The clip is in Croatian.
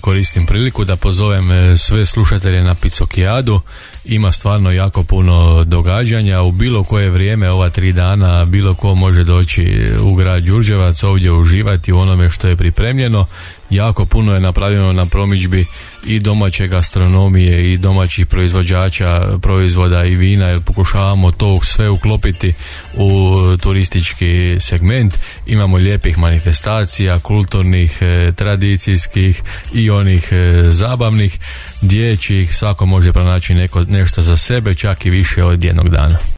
koristim priliku da pozovem sve slušatelje na Picokijadu. Ima stvarno jako puno događanja u bilo koje vrijeme ova 3 dana, bilo ko može doći u grad Đurđevac, ovdje uživati u onome što je pripremljeno. Jako puno je napravljeno na promidžbi i domaće gastronomije i domaćih proizvođača proizvoda i vina, jer pokušavamo to sve uklopiti u turistički segment. Imamo lijepih manifestacija, kulturnih, tradicijskih i onih zabavnih, dječjih, svako može pronaći nešto za sebe, čak i više od jednog dana.